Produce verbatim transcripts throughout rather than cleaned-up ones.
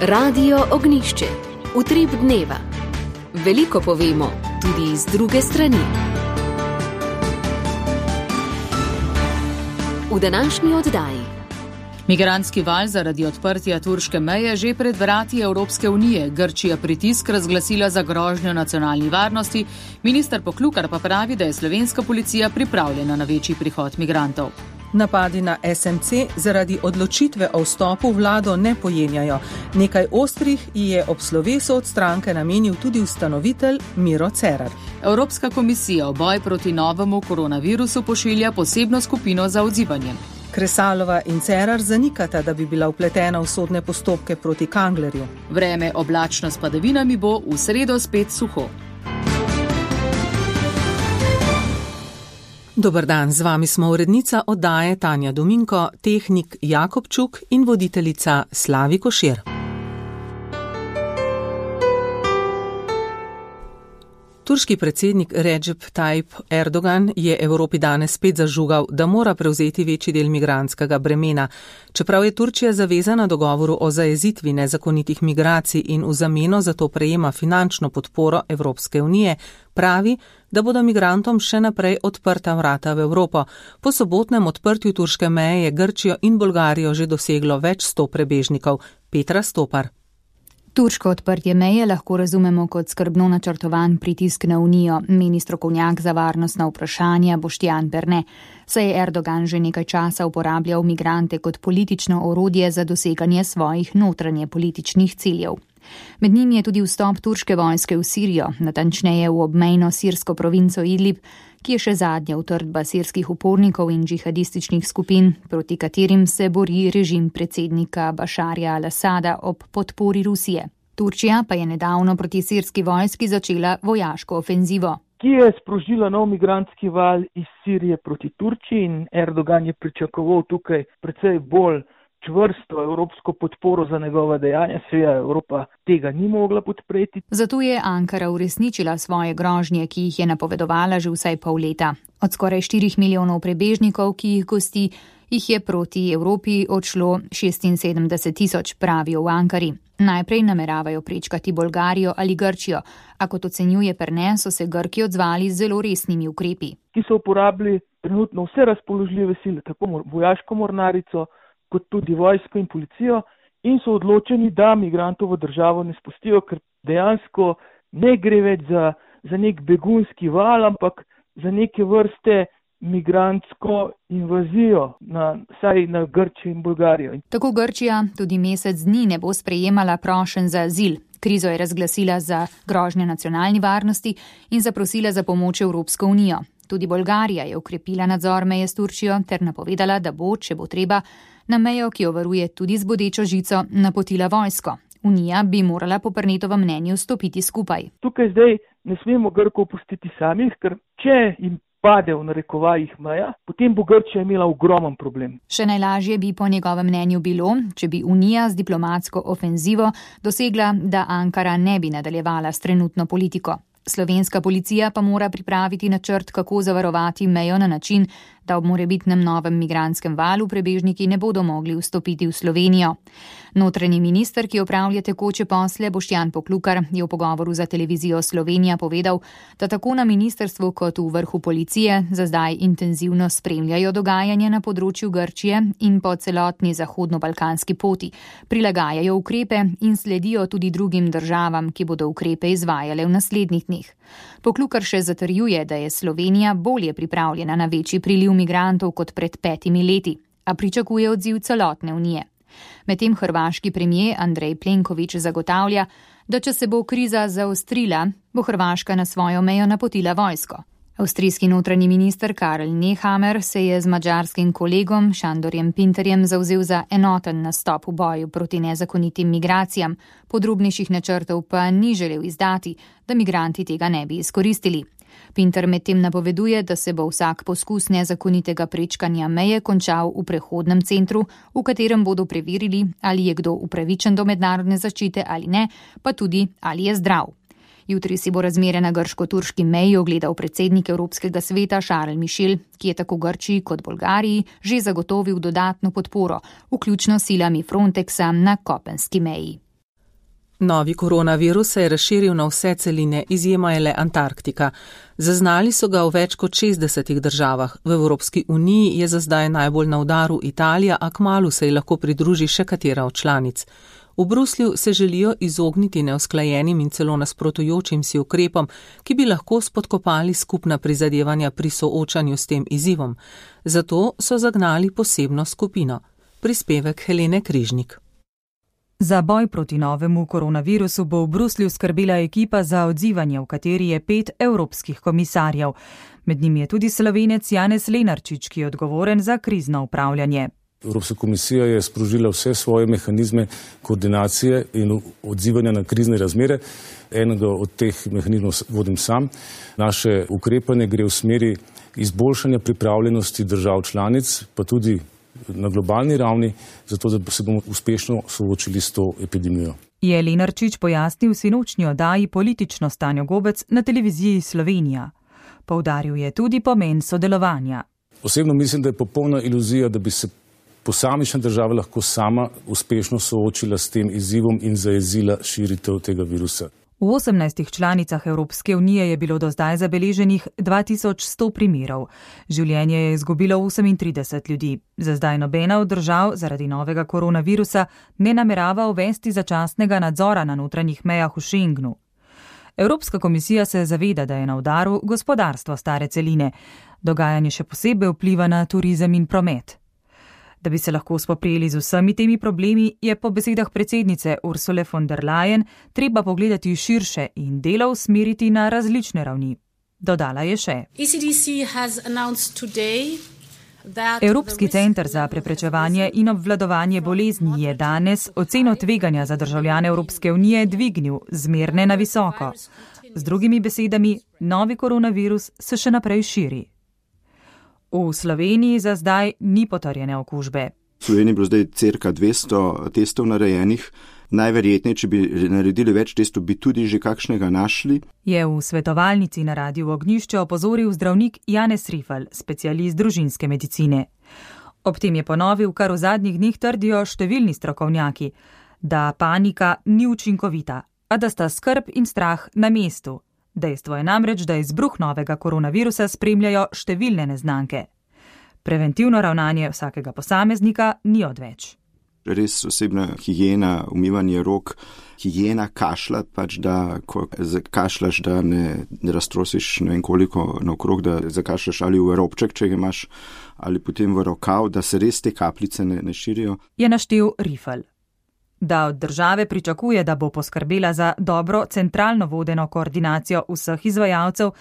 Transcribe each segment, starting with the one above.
Radio Ognjišče. Utrip dneva. Veliko povemo, tudi iz druge strani. V današnji oddaji. Migrantski val zaradi odprtja turške meje že pred vrati Evropske unije. Grčija pritisk razglasila za grožnjo nacionalni varnosti. Minister Poklukar pa pravi, da je slovenska policija pripravljena na večji prihod migrantov. Napadi na es em ce zaradi odločitve o vstopu v vlado ne pojenjajo. Nekaj ostrih je ob slovesu od stranke namenil tudi ustanovitelj Miro Cerar. Evropska komisija v boj proti novemu koronavirusu pošilja posebno skupino za odzivanje. Kresalova in Cerar zanikata, da bi bila vpletena v sodne postopke proti Kanglerju. Vreme oblačno s padavinami bo v sredo spet suho. Dober dan, z vami smo urednica oddaje Tanja Dominko, tehnik Jakobčuk in voditeljica Slavi Košir. Turški predsednik Recep Tayyip Erdogan je Evropi danes spet zažugal, da mora prevzeti večji del migrantskega bremena. Čeprav je Turčija zavezana dogovoru o zajezitvi nezakonitih migracij in v zameno za to prejema finančno podporo Evropske unije, pravi, da bodo migrantom še naprej odprta vrata v Evropo. Po sobotnem odprtju turške meje je Grčijo in Bolgarijo že doseglo več sto prebežnikov. Petra Stopar. Turško odprtje meje lahko razumemo kot skrbno načrtovan pritisk na Unijo, meni strokovnjak za varnostna vprašanja Boštjan Perne. Saj je Erdogan že nekaj časa uporabljal migrante kot politično orodje za doseganje svojih notranje političnih ciljev. Med njimi je tudi vstop turške vojske v Sirijo, natančneje v obmejno sirsko provinco Idlib, ki je še zadnja utrdba sirskih upornikov in džihadističnih skupin, proti katerim se bori režim predsednika Bašarja al-Asada ob podpori Rusije. Turčija pa je nedavno proti sirski vojski začela vojaško ofenzivo, ki je sprožila nov migrantski val iz Sirije proti Turčiji, in Erdogan je pričakoval tukaj precej bolj čvrsto evropsko podporo za njegova dejanja, seveda Evropa tega ni mogla podpreti. Zato je Ankara uresničila svoje grožnje, ki jih je napovedovala že vsaj pol leta. Od skoraj štirih milijonov prebežnikov, ki jih gosti, jih je proti Evropi odšlo šestinsedemdeset tisoč, pravijo v Ankari. Najprej nameravajo prečkati Bolgarijo ali Grčijo, a kot ocenjuje Perne, so se Grki odzvali z zelo resnimi ukrepi. Ki so uporabili trenutno vse razpoložljive sile, tako vojaško mornarico, kot tudi vojsko in policijo, in so odločeni, da migrantov v državo ne spustijo, ker dejansko ne gre več za, za nek begunski val, ampak za neke vrste migrantsko invazijo, na, saj na Grčijo in Bolgarijo. Tako Grčija tudi mesec dni ne bo sprejemala prošenj za azil. Krizo je razglasila za grožnjo nacionalni varnosti in zaprosila za pomoč Evropsko unijo. Tudi Bolgarija je ukrepila nadzor meje s Turčijo ter napovedala, da bo, če bo treba, na mejo, ki jo varuje tudi z bodečo žico, napotila vojsko. Unija bi morala po Pernetovem mnenju stopiti skupaj. Tukaj zdaj ne smemo Grkov pustiti samih, ker če jim pade v narekovajih meja, potem bo Grčija imela ogromen problem. Še najlažje bi po njegovem mnenju bilo, če bi Unija z diplomatsko ofenzivo dosegla, da Ankara ne bi nadaljevala s trenutno politiko. Slovenska policija pa mora pripraviti načrt, kako zavarovati mejo na način, da ob morebitnem novem migrantskem valu prebežniki ne bodo mogli vstopiti v Slovenijo. Notranji minister, ki opravlja tekoče posle, Boštjan Poklukar, je v pogovoru za televizijo Slovenija povedal, da tako na ministrstvu kot v vrhu policije za zdaj intenzivno spremljajo dogajanje na področju Grčije in po celotni zahodno-balkanski poti, prilagajajo ukrepe in sledijo tudi drugim državam, ki bodo ukrepe izvajale v naslednjih dneh. Poklukar še zatrjuje, da je Slovenija bolje pripravljena na večji priliv migrantov kot pred petimi leti, a pričakuje odziv celotne unije. Medtem hrvaški premier Andrej Plenković zagotavlja, da če se bo kriza zaostrila, bo Hrvaška na svojo mejo napotila vojsko. Avstrijski notranji minister Karel Nehammer se je z madžarskim kolegom Šandorjem Pinterjem zavzel za enoten nastop v boju proti nezakonitim migracijam, podrobnejših načrtov pa ni želel izdati, da migranti tega ne bi izkoristili. Pinter medtem napoveduje, da se bo vsak poskus nezakonitega prečkanja meje končal v prehodnem centru, v katerem bodo preverili, ali je kdo upravičen do mednarodne zaščite ali ne, pa tudi, ali je zdrav. Jutri si bo razmere na grško-turški meji ogledal predsednik Evropskega sveta Charles Michel, ki je tako Grčiji kot Bolgariji že zagotovil dodatno podporo, vključno silami Frontexa na kopenski meji. Novi koronavirus se je razširil na vse celine, izjema je le Antarktika. Zaznali so ga v več kot šestdesetih državah. V Evropski uniji je za zdaj najbolj na udaru Italija, a kmalu se ji lahko pridruži še katera od članic. V Bruslju se želijo izogniti neusklajenim in celo nasprotujočim si ukrepom, ki bi lahko spodkopali skupna prizadevanja pri soočanju s tem izzivom. Zato so zagnali posebno skupino. Prispevek Helene Križnik. Za boj proti novemu koronavirusu bo v Bruslju skrbela ekipa za odzivanje, v kateri je pet evropskih komisarjev. Med njimi je tudi Slovenec Janez Lenarčič, ki je odgovoren za krizno upravljanje. Evropska komisija je sprožila vse svoje mehanizme koordinacije in odzivanja na krizne razmere. Enega od teh mehanizmov vodim sam. Naše ukrepanje gre v smeri izboljšanja pripravljenosti držav članic, pa tudi na globalni ravni, zato da se bomo uspešno soočili s to epidemijo. Je Lenarčič pojasnil sinočnji oddaji Politično s Tanjo Gobec na televiziji Slovenija. Poudaril je tudi pomen sodelovanja. Osebno mislim, da je popolna iluzija, da bi se posamična država lahko sama uspešno soočila s tem izzivom in zajezila širitev tega virusa. V osemnajstih članicah Evropske unije je bilo do zdaj zabeleženih dva tisoč sto primerov. Življenje je izgubilo osemintrideset ljudi. Za zdaj nobena od držav zaradi novega koronavirusa ne namerava uvesti začasnega nadzora na notranjih mejah v Schengenu. Evropska komisija se zaveda, da je na udaru gospodarstvo stare celine. Dogajanje še posebej vpliva na turizem in promet. Da bi se lahko spoprijeli z vsemi temi problemi, je po besedah predsednice Ursule von der Leyen treba pogledati širše in delo usmeriti na različne ravni. Dodala je še. Evropski center za preprečevanje in obvladovanje bolezni je danes oceno tveganja za državljane Evropske unije dvignil zmerne na visoko. Z drugimi besedami, novi koronavirus se še naprej širi. V Sloveniji za zdaj ni potrjene okužbe. V Sloveniji je bilo zdaj cirka dvesto testov narejenih. Najverjetneje, če bi naredili več testov, bi tudi že kakšnega našli. Je v svetovalnici na Radiu Ognjišče opozoril zdravnik Janez Rifel, specialist družinske medicine. Ob tem je ponovil, kar v zadnjih dneh trdijo številni strokovnjaki, da panika ni učinkovita, a da sta skrb in strah na mestu. Dejstvo je namreč, da izbruh novega koronavirusa spremljajo številne neznanke. Preventivno ravnanje vsakega posameznika ni odveč. Res osebna higiena, umivanje rok, higiena kašlja, pač da ko kašljaš, da ne, ne raztrosiš ne vem koliko naokrog, da zakašljaš ali v robček, če ga imaš, ali potem v rokav, da se res te kapljice ne, ne širijo. Je naštel Rifel. Da od države pričakuje, da bo poskrbela za dobro centralno vodeno koordinacijo vseh izvajalcev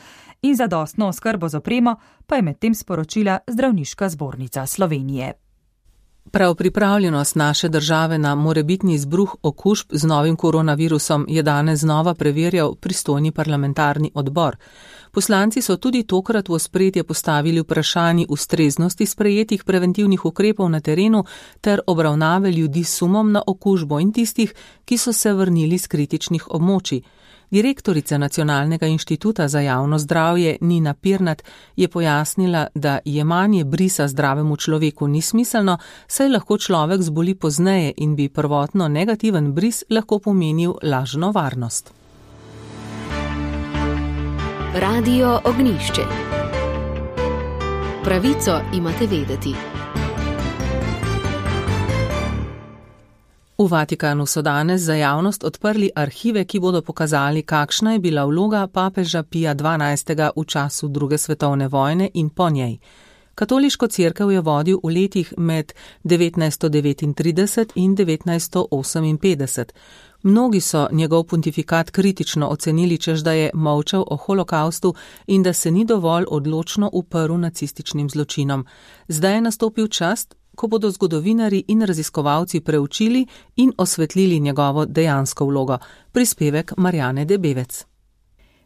in zadostno oskrbo z opremo, pa je medtem sporočila Zdravniška zbornica Slovenije. Prav pripravljenost naše države na morebitni izbruh okužb z novim koronavirusom je danes znova preverjal pristojni parlamentarni odbor. Poslanci so tudi tokrat v ospredje postavili vprašanji ustreznosti sprejetih preventivnih ukrepov na terenu ter obravnave ljudi s sumom na okužbo in tistih, ki so se vrnili z kritičnih območij. Direktorica Nacionalnega inštituta za javno zdravje Nina Pirnat je pojasnila, da jemanje brisa zdravemu človeku ni smiselno, saj lahko človek zboli pozneje in bi prvotno negativen bris lahko pomenil lažno varnost. Radio Ognjišče. Pravico imate vedeti. V Vatikanu so danes za javnost odprli arhive, ki bodo pokazali, kakšna je bila vloga papeža Pija dvanajstega v času druge svetovne vojne in po njej. Katoliško cerkev je vodil v letih med devetnajststo devetintrideset in devetnajststo oseminpetdeset. Mnogi so njegov pontifikat kritično ocenili, češ da je molčal o holokaustu in da se ni dovolj odločno uprl nacističnim zločinom. Zdaj je nastopil čas, ko bodo zgodovinarji in raziskovalci preučili in osvetlili njegovo dejansko vlogo. Prispevek Marjane Debevec.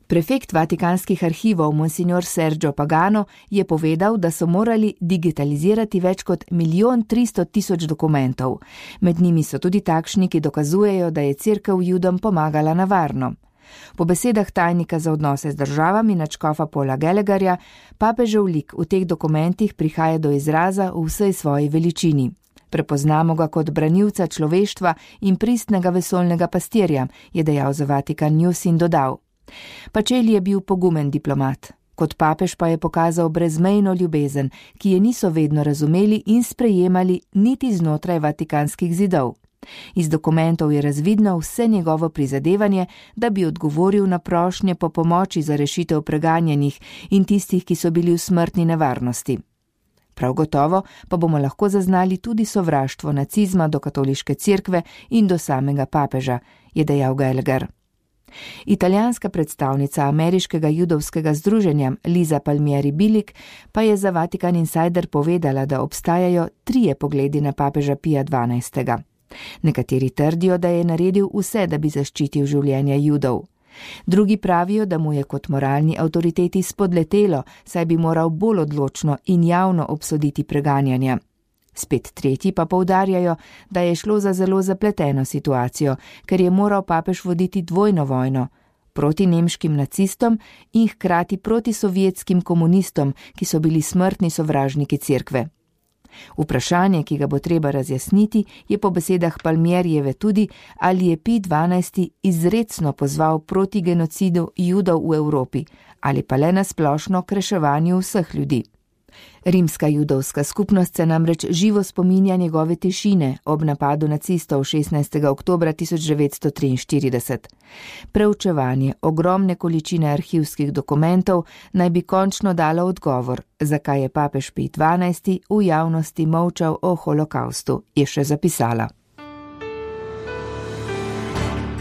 Prefekt Vatikanskih arhivov monsignor Sergio Pagano je povedal, da so morali digitalizirati več kot milijon tristo tisoč dokumentov. Med njimi so tudi takšni, ki dokazujejo, da je cerkev Judom pomagala na varno. Po besedah tajnika za odnose z državami nadškofa Paula Gallagherja, papežev lik v teh dokumentih prihaja do izraza v vsej svoji veličini. Prepoznamo ga kot branilca človeštva in pristnega vesoljnega pastirja, je dejal za Vatikan News in dodal. Pacelli je bil pogumen diplomat. Kot papež pa je pokazal brezmejno ljubezen, ki je niso vedno razumeli in sprejemali niti znotraj vatikanskih zidov. Iz dokumentov je razvidno vse njegovo prizadevanje, da bi odgovoril na prošnje po pomoči za rešitev preganjenih in tistih, ki so bili v smrtni nevarnosti. Prav gotovo pa bomo lahko zaznali tudi sovraštvo nacizma do katoliške cerkve in do samega papeža, je dejal Gallagher. Italijanska predstavnica ameriškega judovskega združenja Liza Palmieri Bilic pa je za Vatikan Insider povedala, da obstajajo trije pogledi na papeža Pija dvanajstega. Nekateri trdijo, da je naredil vse, da bi zaščitil življenja Judov. Drugi pravijo, da mu je kot moralni avtoriteti spodletelo, saj bi moral bolj odločno in javno obsoditi preganjanja. Spet tretji pa poudarjajo, da je šlo za zelo zapleteno situacijo, ker je moral papež voditi dvojno vojno proti nemškim nacistom in hkrati proti sovjetskim komunistom, ki so bili smrtni sovražniki cerkve. Vprašanje, ki ga bo treba razjasniti, je po besedah Palmierijeve tudi, ali je Pij dvanajsti izrecno pozval proti genocidu Judov v Evropi ali pa le na splošno k reševanju vseh ljudi. Rimska judovska skupnost se namreč živo spominja njegove tišine ob napadu nacistov šestnajstega oktobra tisoč devetsto triinštirideset. Preučevanje ogromne količine arhivskih dokumentov naj bi končno dalo odgovor, zakaj je papež Pij dvanajsti v javnosti molčal o holokaustu, je še zapisala.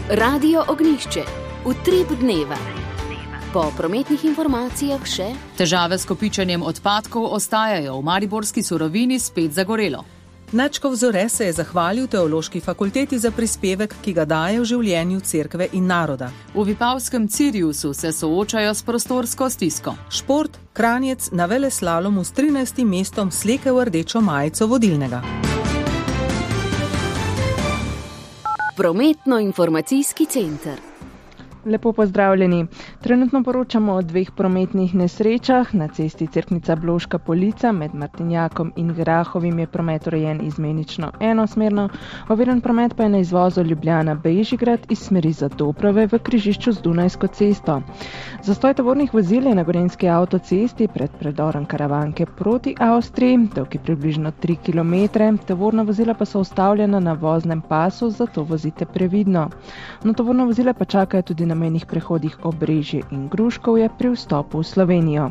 Radio Ognjišče. Utrip dneva. Po prometnih informacijah še. Težave s kopičenjem odpadkov ostajajo, v mariborski surovini spet zagorelo. Načkov Zore se je zahvalil Teološki fakulteti za prispevek, ki ga daje v življenju cerkve in naroda. V Vipavskem Ciriusu se soočajo s prostorsko stisko. Šport, Kranjec na veleslalomu s trinajstim mestom slekel rdečo majico vodilnega. Prometno-informacijski center. Lepo pozdravljeni. Trenutno poročamo o dveh prometnih nesrečah. Na cesti Cerknica-Bloška Polica med Martinjakom in Grahovim je promet urejen izmenično enosmerno, oviran promet pa je na izvozu Ljubljana-Bežigrad iz smeri Zadobrove v križišču z Dunajsko cesto. Zastoj tovornih vozil je na Gorenjski avtocesti pred predorom Karavanke proti Avstriji, dolg je približno tri kilometre, tovorna vozila pa so ustavljena na voznem pasu, zato vozite previdno. No, tovorna vozila pa čakajo tudi na mejnih prehodih Obrežje in Gruškovje pri vstopu v Slovenijo.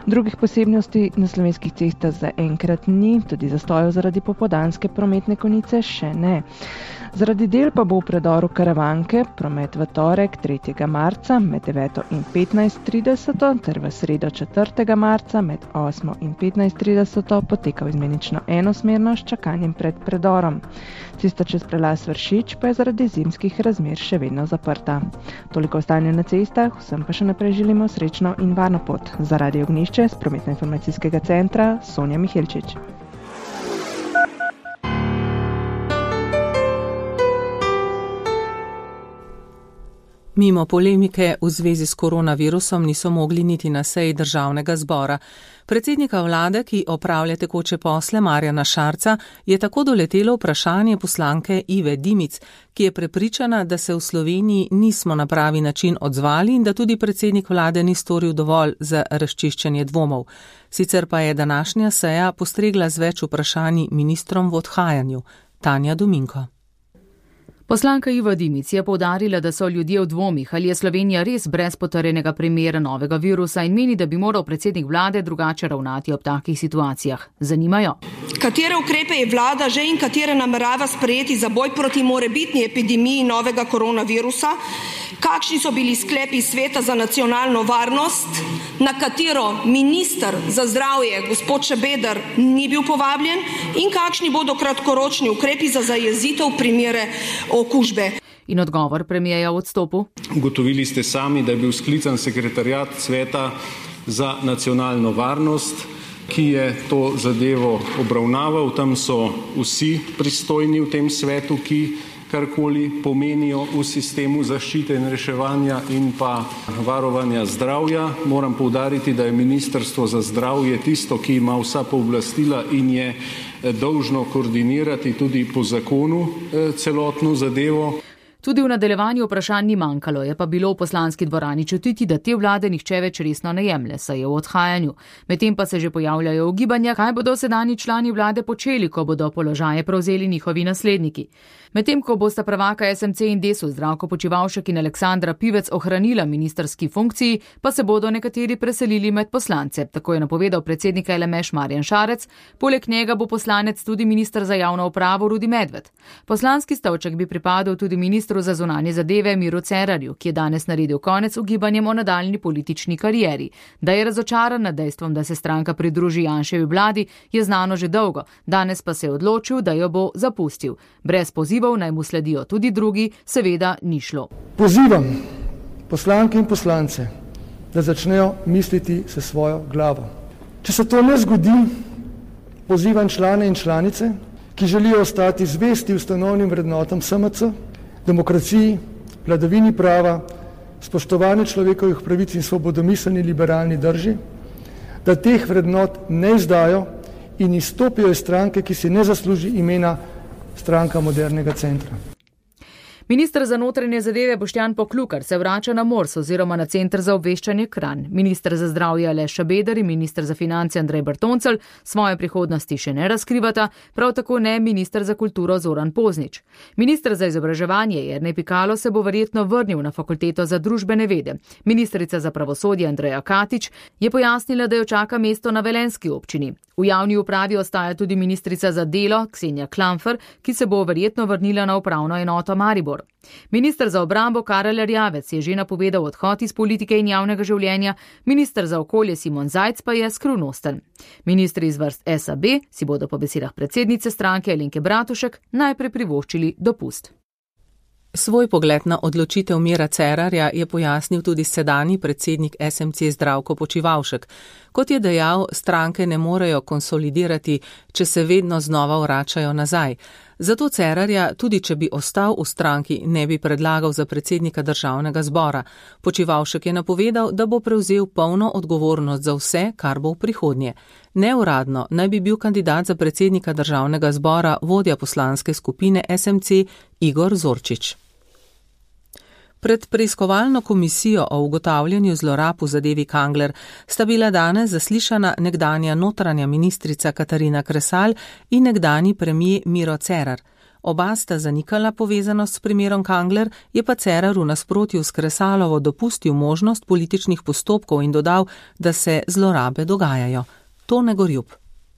Drugih posebnosti na slovenskih cestah za enkrat ni, tudi zastojev zaradi popoldanske prometne konice še ne. Zaradi del pa bo v predoru Karavanke promet v torek tretjega marca med deveto in petnajst trideset ter v sredo četrtega marca med osmo in petnajst trideset potekal izmenično enosmerno s čakanjem pred predorom. Cesta čez prelaz Vršič pa je zaradi zimskih razmer še vedno zaprta. Toliko o stanju na cestah, vsem pa še naprej želimo srečno in varno pot. Za Radio Ognjišče z prometno-informacijskega centra Sonja Mihelčič. Mimo polemike v zvezi s koronavirusom niso mogli niti na seji državnega zbora. Predsednika vlade, ki opravlja tekoče posle Marjana Šarca, je tako doletelo vprašanje poslanke Ive Dimic, ki je prepričana, da se v Sloveniji nismo na pravi način odzvali in da tudi predsednik vlade ni storil dovolj za razčiščenje dvomov. Sicer pa je današnja seja postregla z več vprašanji ministrom v odhajanju. Tanja Dominko. Poslanka Iva Dimic je poudarila, da so ljudje v dvomih, ali je Slovenija res brez potrjenega primera novega virusa in meni, da bi moral predsednik vlade drugače ravnati ob takih situacijah. Zanimajo. Katere ukrepe je vlada že in katere namerava sprejeti za boj proti morebitni epidemiji novega koronavirusa? Kakšni so bili sklepi Sveta za nacionalno varnost, na katero minister za zdravje, gospod Šabeder, ni bil povabljen, in kakšni bodo kratkoročni ukrepi za zajezitev primere okužbe? In odgovor premijeja v odstopu? Ugotovili ste sami, da je bil sklican sekretariat Sveta za nacionalno varnost, ki je to zadevo obravnaval. Tam so vsi pristojni v tem svetu, ki karkoli pomenijo v sistemu zaščite in reševanja in pa varovanja zdravja. Moram poudariti, da je Ministrstvo za zdravje tisto, ki ima vsa pooblastila in je dolžno koordinirati tudi po zakonu celotno zadevo. Tudi v nadaljevanju vprašanj ni manjkalo, je pa bilo v poslanski dvorani čutiti, da te vlade nihče več resno ne jemlje, saj je v odhajanju. Medtem pa se že pojavljajo ugibanja, kaj bodo sedanji člani vlade počeli, ko bodo položaje prevzeli njihovi nasledniki. Medtem ko bosta prvaka S M C in Desus Zdravko Počivalšek in Aleksandra Pivec ohranila ministrski funkciji, pa se bodo nekateri preselili med poslance, tako je napovedal predsednik L M Š Marjan Šarec, poleg njega bo poslanec tudi minister za javno upravo Rudi Medved. Poslanski stolček bi pripadal tudi ministru za zunanje zadeve Miru Cerarju, ki je danes naredil konec ugibanjem o nadaljni politični karieri. Da je razočaran nad dejstvom, da se stranka pridruži Janševi vladi, je znano že dolgo, danes pa se je odločil, da jo bo zapustil. Brez pozivov naj mu sledijo tudi drugi, seveda ni šlo. Pozivam poslanke in poslance, da začnejo misliti se svojo glavo. Če se to ne zgodi, pozivam člane in članice, ki želijo ostati zvesti ustanovnim vrednotam S M C, demokraciji, vladavini prava, spoštovanju človekovih pravic in svobodomiselni liberalni drži, da teh vrednot ne izdajo in izstopijo iz stranke, ki si ne zasluži imena Stranka modernega centra. Minister za notranje zadeve Boštjan Poklukar se vrača na Mors oziroma na Center za obveščanje Kranj. Minister za zdravje Aleš Šabeder in minister za finance Andrej Bertoncelj svoje prihodnosti še ne razkrivata, prav tako ne minister za kulturo Zoran Poznič. Minister za izobraževanje Jernej Pikalo se bo verjetno vrnil na fakulteto za družbene vede. Ministrica za pravosodje Andreja Katič je pojasnila, da jo čaka mesto na velenjski občini. V javni upravi ostaja tudi ministrica za delo Ksenija Klamfer, ki se bo verjetno vrnila na upravno enoto Maribor. Minister za obrambo Karel Erjavec je že napovedal odhod iz politike in javnega življenja, minister za okolje Simon Zajc pa je skrivnosten. Ministri iz vrst S A B si bodo po besedah predsednice stranke Alenke Bratušek najprej privoščili dopust. Svoj pogled na odločitev Mira Cerarja je pojasnil tudi sedanji predsednik S M C Zdravko Počivalšek. Kot je dejal, stranke ne morejo konsolidirati, če se vedno znova vračajo nazaj. Zato Cerarja, tudi če bi ostal v stranki, ne bi predlagal za predsednika državnega zbora. Počivalšek je napovedal, da bo prevzel polno odgovornost za vse, kar bo v prihodnje. Neuradno naj bi bil kandidat za predsednika državnega zbora vodja poslanske skupine S M C Igor Zorčič. Pred preiskovalno komisijo o ugotavljanju zlorab v zadevi Kangler sta bila danes zaslišana nekdanja notranja ministrica Katarina Kresal in nekdanji premijer Miro Cerar. Oba sta zanikala povezanost s primerom Kangler, je pa Cerar v nasprotju s Kresalovo dopustil možnost političnih postopkov in dodal, da se zlorabe dogajajo. Tone Gorjup.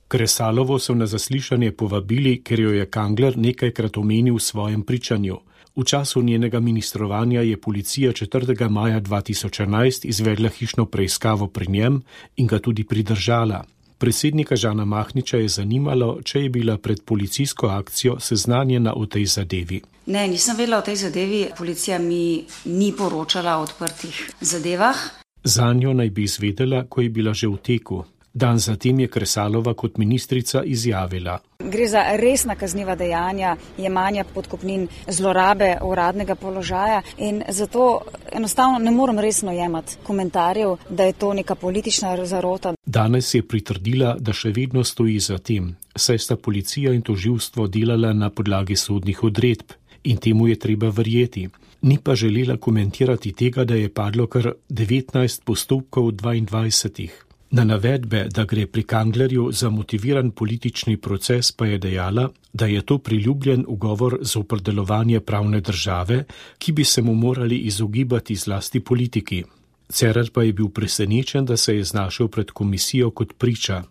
Kresalovo so na zaslišanje povabili, ker jo je Kangler nekajkrat omenil v svojem pričanju. V času njenega ministrovanja je policija četrtega maja dva tisoč enajst izvedla hišno preiskavo pri njem in ga tudi pridržala. Predsednika Žana Mahniča je zanimalo, če je bila pred policijsko akcijo seznanjena o tej zadevi. Ne, nisem vedela o tej zadevi. Policija mi ni poročala o odprtih zadevah. Zanjo naj bi izvedela, ko je bila že v teku. Dan zatem je Kresalova kot ministrica izjavila. Gre za resna kazniva dejanja, jemanja podkupnin, zlorabe uradnega položaja in zato enostavno ne morem resno jemati komentarjev, da je to neka politična zarota. Danes je pritrdila, da še vedno stoji za tem, saj sta policija in tožilstvo delala na podlagi sodnih odredb in temu je treba verjeti. Ni pa želela komentirati tega, da je padlo kar devetnajst postopkov dvaindvajsetih. Na navedbe, da gre pri Kanglerju za motiviran politični proces, pa je dejala, da je to priljubljen ugovor zoper delovanje pravne države, ki bi se mu morali izogibati zlasti politiki. Cerar pa je bil presenečen, da se je znašel pred komisijo kot priča.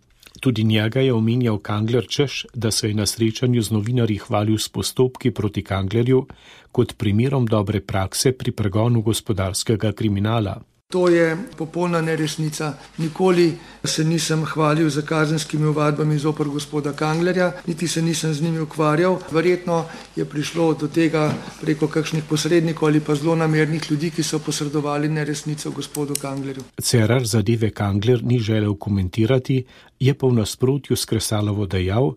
Tudi njega je omenjal Kangler, češ, da se je na srečanju z novinarji hvalil s postopki proti Kanglerju kot primerom dobre prakse pri pregonu gospodarskega kriminala. To je popolna neresnica. Nikoli se nisem hvalil za kazenskimi ovadbami zoper gospoda Kanglerja, niti se nisem z njimi ukvarjal. Verjetno je prišlo do tega preko kakšnih posrednikov ali pa zelo namernih ljudi, ki so posredovali neresnico gospodu Kanglerju. Cerar zadeve Kangler ni želel komentirati, je pa v nasprotju s Kresalovo dejal,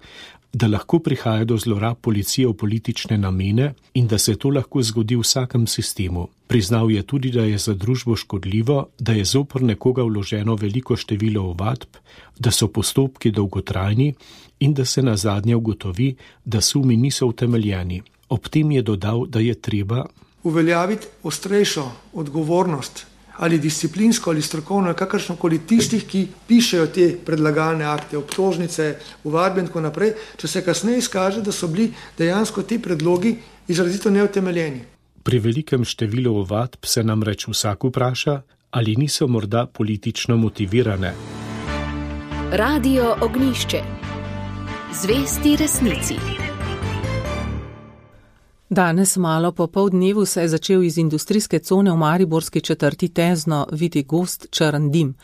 da lahko prihaja do zlorab policije v politične namene in da se to lahko zgodi v vsakem sistemu. Priznal je tudi, da je za družbo škodljivo, da je zoper nekoga vloženo veliko število ovadb, da so postopki dolgotrajni in da se nazadnje ugotovi, da sumi niso utemeljeni. Ob tem je dodal, da je treba uveljaviti ostrejšo odgovornost ali disciplinsko ali strokovno, kakršnokoli tistih, ki pišejo te predlagalne akte, obtožnice, ovadbe in tako naprej, če se kasneje izkaže, da so bili dejansko ti predlogi izrazito neutemeljeni. Pri velikem številu ovadb se namreč vsak vpraša, ali niso morda politično motivirane. Radio Ognjišče. Zvesti resnici. Danes malo po pol dnevu se je začel iz industrijske cone v mariborski četrti Tezno viti gost črn dim.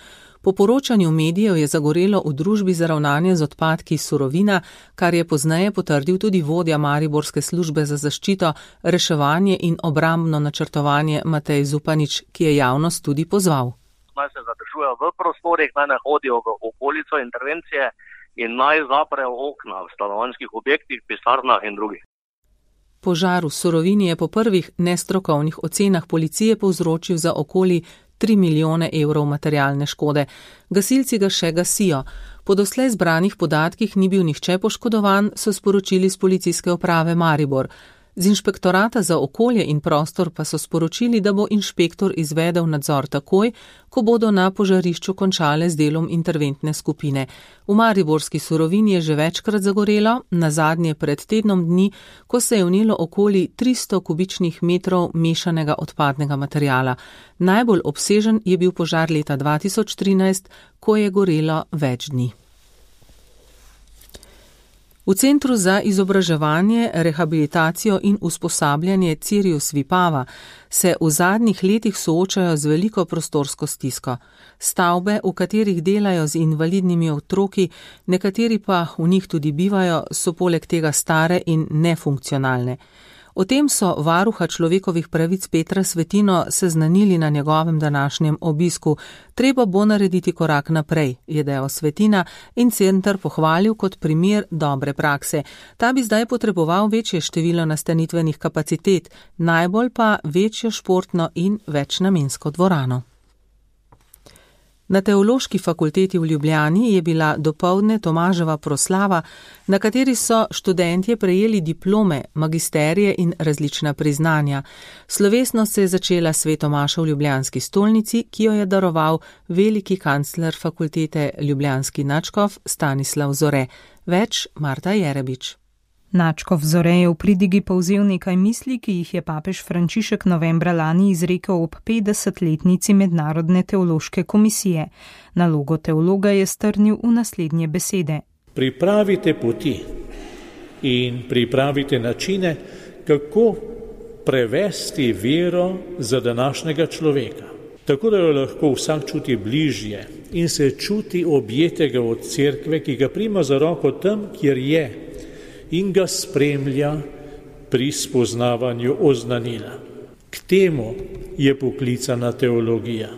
Po poročanju medijev je zagorelo v družbi za ravnanje z odpadki Surovina, kar je pozneje potrdil tudi vodja mariborske službe za zaščito, reševanje in obrambno načrtovanje Matej Zupanič, ki je javnost tudi pozval. Naj se zadržujejo v prostorih, naj ne hodijo v okolico intervencije in naj zaprejo okna v stanovanjskih objektih, pisarnah in drugih. Požar v Surovini je po prvih nestrokovnih ocenah policije povzročil za okoli tri milijone evrov materialne škode. Gasilci ga še gasijo. Po doslej zbranih podatkih ni bil nihče poškodovan, so sporočili z policijske uprave Maribor. Z inšpektorata za okolje in prostor pa so sporočili, da bo inšpektor izvedel nadzor takoj, ko bodo na požarišču končale z delom interventne skupine. V mariborski Surovini je že večkrat zagorelo, nazadnje pred tednom dni, ko se je vnelo okoli tristo kubičnih metrov mešanega odpadnega materijala. Najbolj obsežen je bil požar leta dva tisoč trinajst, ko je gorelo več dni. V Centru za izobraževanje, rehabilitacijo in usposabljanje Cirius Vipava se v zadnjih letih soočajo z veliko prostorsko stisko. Stavbe, v katerih delajo z invalidnimi otroki, nekateri pa v njih tudi bivajo, so poleg tega stare in nefunkcionalne. O tem so varuha človekovih pravic Petra Svetino seznanili na njegovem današnjem obisku. Treba bo narediti korak naprej, je dejal Svetina in center pohvalil kot primer dobre prakse. Ta bi zdaj potreboval večje število nastanitvenih kapacitet, najbolj pa večjo športno in večnamensko dvorano. Na Teološki fakulteti v Ljubljani je bila dopoldne Tomaževa proslava, na kateri so študentje prejeli diplome, magisterije in različna priznanja. Slovesnost se je začela s sveto mašo v ljubljanski stolnici, ki jo je daroval veliki kancler fakultete ljubljanski nadškof Stanislav Zore. Več Marta Jerebič. Nadškof Zore je v pridigi povzel nekaj misli, ki jih je papež Frančišek novembra lani izrekel ob petdesetletnici Mednarodne teološke komisije. Nalogo teologa je strnil v naslednje besede. Pripravite poti in pripravite načine, kako prevesti vero za današnjega človeka. Tako da jo lahko vsak čuti bližje in se čuti objetega od cerkve, ki ga prima za roko tam, kjer je, in ga spremlja pri spoznavanju oznanila. K temu je poklicana teologija.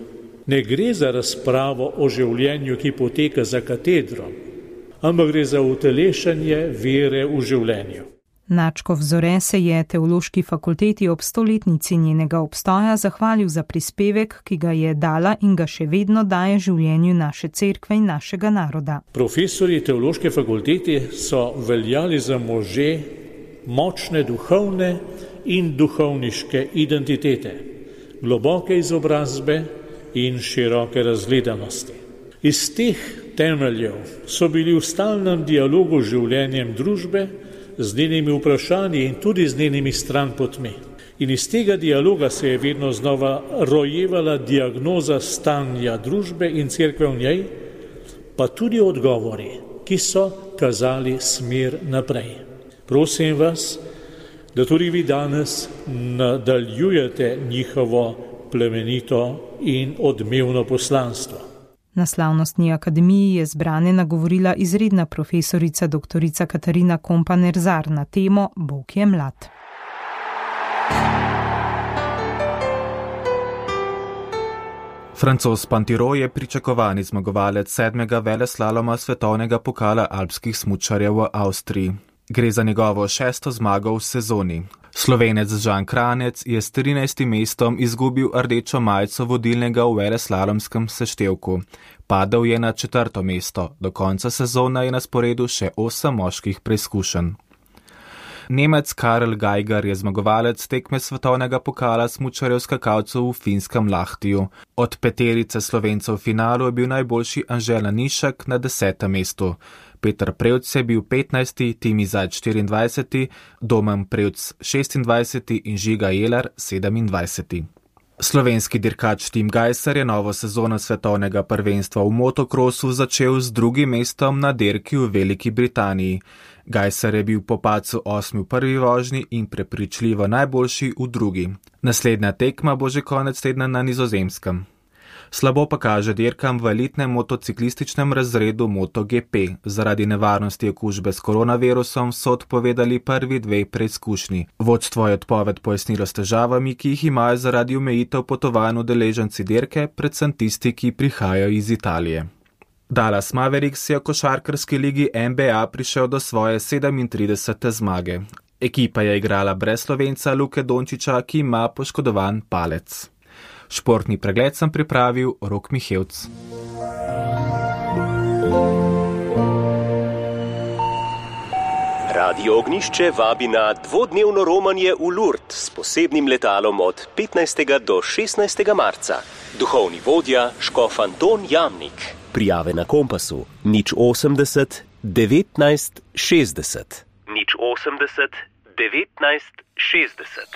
Ne gre za razpravo o življenju, ki poteka za katedrom, ampak gre za utelešanje vere v življenju. Nadškof Zore se je Teološki fakulteti ob stoletnici njenega obstoja zahvalil za prispevek, ki ga je dala in ga še vedno daje življenju naše cerkve in našega naroda. Profesorji Teološke fakulteti so veljali za može močne duhovne in duhovniške identitete, globoke izobrazbe in široke razgledanosti. Iz teh temeljev so bili v stalnem dialogu z življenjem družbe, z njenimi vprašanji in tudi z njenimi stranpotmi. In iz tega dialoga se je vedno znova rojevala diagnoza stanja družbe in cerkve v njej, pa tudi odgovori, ki so kazali smer naprej. Prosim vas, da tudi vi danes nadaljujete njihovo plemenito in odmevno poslanstvo. Na slavnostni akademiji je zbrane nagovorila izredna profesorica doktorica Katarina Kompa-Nerzar na temo Bog je mlad. Francoz Pantiro je pričakovani zmagovalec sedmega veleslaloma svetovnega pokala alpskih smučarjev v Avstriji. Gre za njegovo šesto zmago v sezoni. Slovenec Žan Kranjec je s trinajstim mestom izgubil rdečo majico vodilnega v veleslalomskem seštevku. Padel je na četrto mesto, do konca sezona je na sporedu še osem moških preizkušenj. Nemec Karel Geiger je zmagovalec tekme svetovnega pokala smučarjev skakalcev v finskem Lahtiju. Od peterice Slovencev v finalu je bil najboljši Anže Lanišek na desetem mestu. Peter Prevc je bil petnajsti, Timi Zajc štiriindvajseti, Domen Prevc šestindvajseti in Žiga Jeler sedemindvajseti. Slovenski dirkač Tim Gajser je novo sezono svetovnega prvenstva v motokrosu začel z drugim mestom na dirki v Veliki Britaniji. Gajser je bil po padcu osmi v prvi vožnji in prepričljivo najboljši v drugi. Naslednja tekma bo že konec tedna na Nizozemskem. Slabo pa kaže dirkam v elitnem motociklističnem razredu MotoGP. Zaradi nevarnosti okužbe s koronavirusom so odpovedali prvi dve preizkušnji. Vodstvo je odpoved pojasnilo s težavami, ki jih imajo zaradi omejitev potovanj udeleženci dirke, predvsem tisti, ki prihajajo iz Italije. Dallas Mavericks je v košarkarski ligi N B A prišel do svoje sedemintridesete zmage. Ekipa je igrala brez Slovenca Luke Dončiča, ki ima poškodovan palec. Športni pregled sem pripravil Rok Mihevc. Radio Ognišče vabi na dvodnevno romanje v Lourdes s posebnim letalom od petnajstega do šestnajstega marca. Duhovni vodja škof Anton Jamnik. Prijave na Kompasu nič osemdeset devetnajst šestdeset. nič osemdeset devetnajst šestdeset.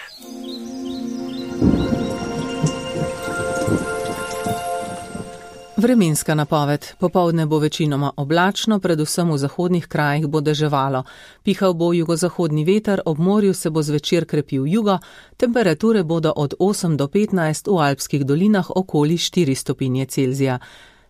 Vremenska napoved. Popoldne bo večinoma oblačno, predvsem v zahodnih krajih bo deževalo. Pihal bo jugozahodni veter, ob morju se bo zvečer krepil jugo, temperature bodo od osem do petnajst, v alpskih dolinah okoli štiri stopinje Celzija.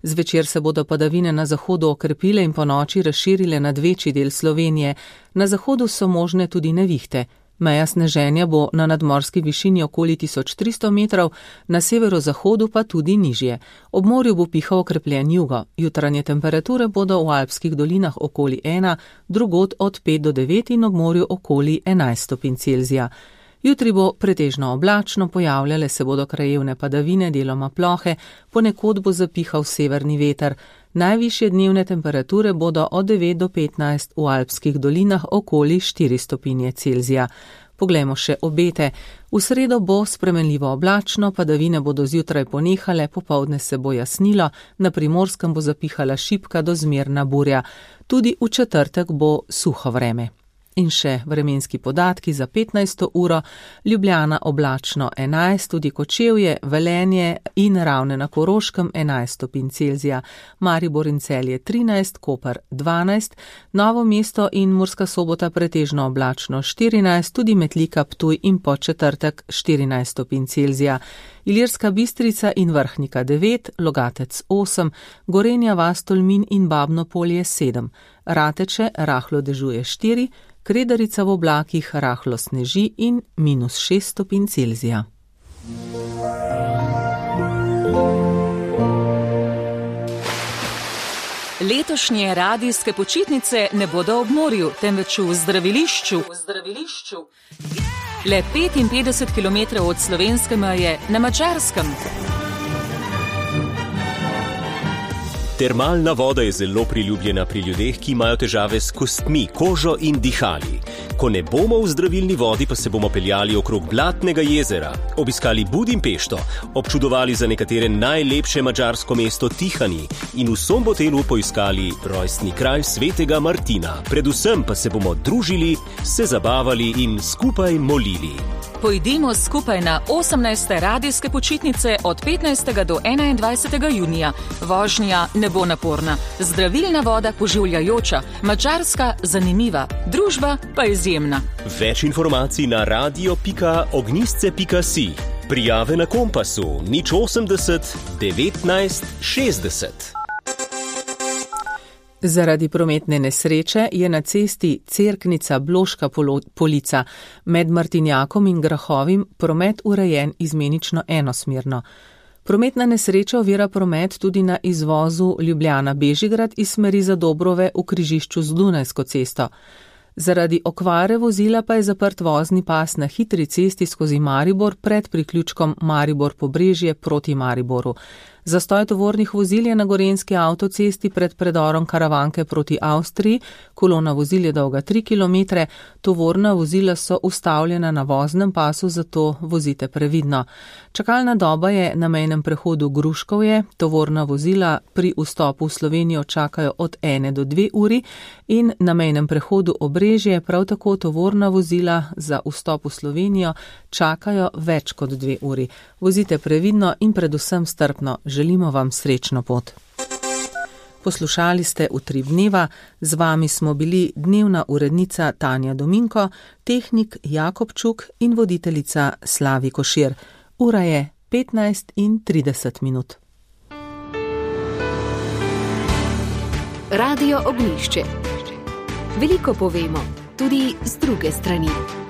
Zvečer se bodo padavine na zahodu okrepile in po noči razširile nad večji del Slovenije. Na zahodu so možne tudi nevihte. Meja sneženja bo na nadmorski višini okoli tisoč tristo metrov, na severozahodu pa tudi nižje. Ob morju bo pihal okrepljen jugo. Jutranje temperature bodo v alpskih dolinah okoli ena, drugod od pet do devet in ob morju okoli enajst stopinj Celzija. Jutri bo pretežno oblačno, pojavljale se bodo krajevne padavine, deloma plohe, ponekod bo zapihal severni veter. Najvišje dnevne temperature bodo od devet do petnajst, v alpskih dolinah okoli štiri stopinje Celzija. Poglejmo še obete. V sredo bo spremenljivo oblačno, padavine bodo zjutraj ponehale, popoldne se bo jasnilo, na Primorskem bo zapihala šibka do zmerna burja. Tudi v četrtek bo suho vreme. In še vremenski podatki za petnajsto uro, Ljubljana oblačno enajst, tudi Kočevje, Velenje in Ravne na Koroškem enajst stopinj Celzija, Maribor in Celje trinajst, Koper dvanajst, Novo mesto in Murska Sobota pretežno oblačno štirinajst, tudi Metlika, Ptuj in Podčetrtek štirinajst stopinj Celzija, Ilirska Bistrica in Vrhnika devet, Logatec osem, Gorenja vas, Tolmin in Babno Polje sedem, Rateče rahlo dežuje štiri, Kredarica v oblakih rahlo sneži in minus šest stopinj Celzija. Letošnje radijske počitnice ne bodo ob morju, temveč v zdravilišču. V zdravilišču. Le petinpetdeset kilometrov od slovenske meje na Madžarskem. Termalna voda je zelo priljubljena pri ljudeh, ki imajo težave s kostmi, kožo in dihali. Ko ne bomo v zdravilni vodi, pa se bomo peljali okrog Blatnega jezera, obiskali Budimpešto, občudovali za nekatere najlepše madžarsko mesto Tihani in v Sombotelu poiskali rojstni kraj svetega Martina. Predvsem pa se bomo družili, se zabavali in skupaj molili. Pojdimo skupaj na osemnajste radijske počitnice od petnajstega do enaindvajsetega junija. Vožnja ne bo naporna, zdravilna voda poživljajoča, Madžarska zanimiva, družba pa izjemna. Več informacij na radio pika ognjisce pika si. Prijave na Kompasu nič osemdeset devetnajst šestdeset. Zaradi prometne nesreče je na cesti Cerknica-Bloška Polica med Martinjakom in Grahovim promet urejen izmenično enosmerno. Prometna nesreča ovira promet tudi na izvozu Ljubljana-Bežigrad iz smeri Zadobrove v križišču z Dunajsko cesto. Zaradi okvare vozila pa je zaprt vozni pas na hitri cesti skozi Maribor pred priključkom Maribor-Pobrežje proti Mariboru. Zastoj tovornih vozil je na gorenjski avtocesti pred predorom Karavanke proti Avstriji, kolona vozil je dolga tri kilometre, tovorna vozila so ustavljena na voznem pasu, zato vozite previdno. Čakalna doba je na mejnem prehodu Gruškovje, tovorna vozila pri vstopu v Slovenijo čakajo od ene do dve uri in na mejnem prehodu Obrežje prav tako tovorna vozila za vstop v Slovenijo čakajo več kot dve uri. Vozite previdno in predvsem strpno. Želimo vam srečno pot. Poslušali ste Utrip dneva, z vami smo bili dnevna urednica Tanja Dominko, tehnik Jakob Čuk in voditeljica Slavi Košir. Ura je petnajst in trideset minut. Radio Ognjišče. Veliko povemo, tudi z druge strani.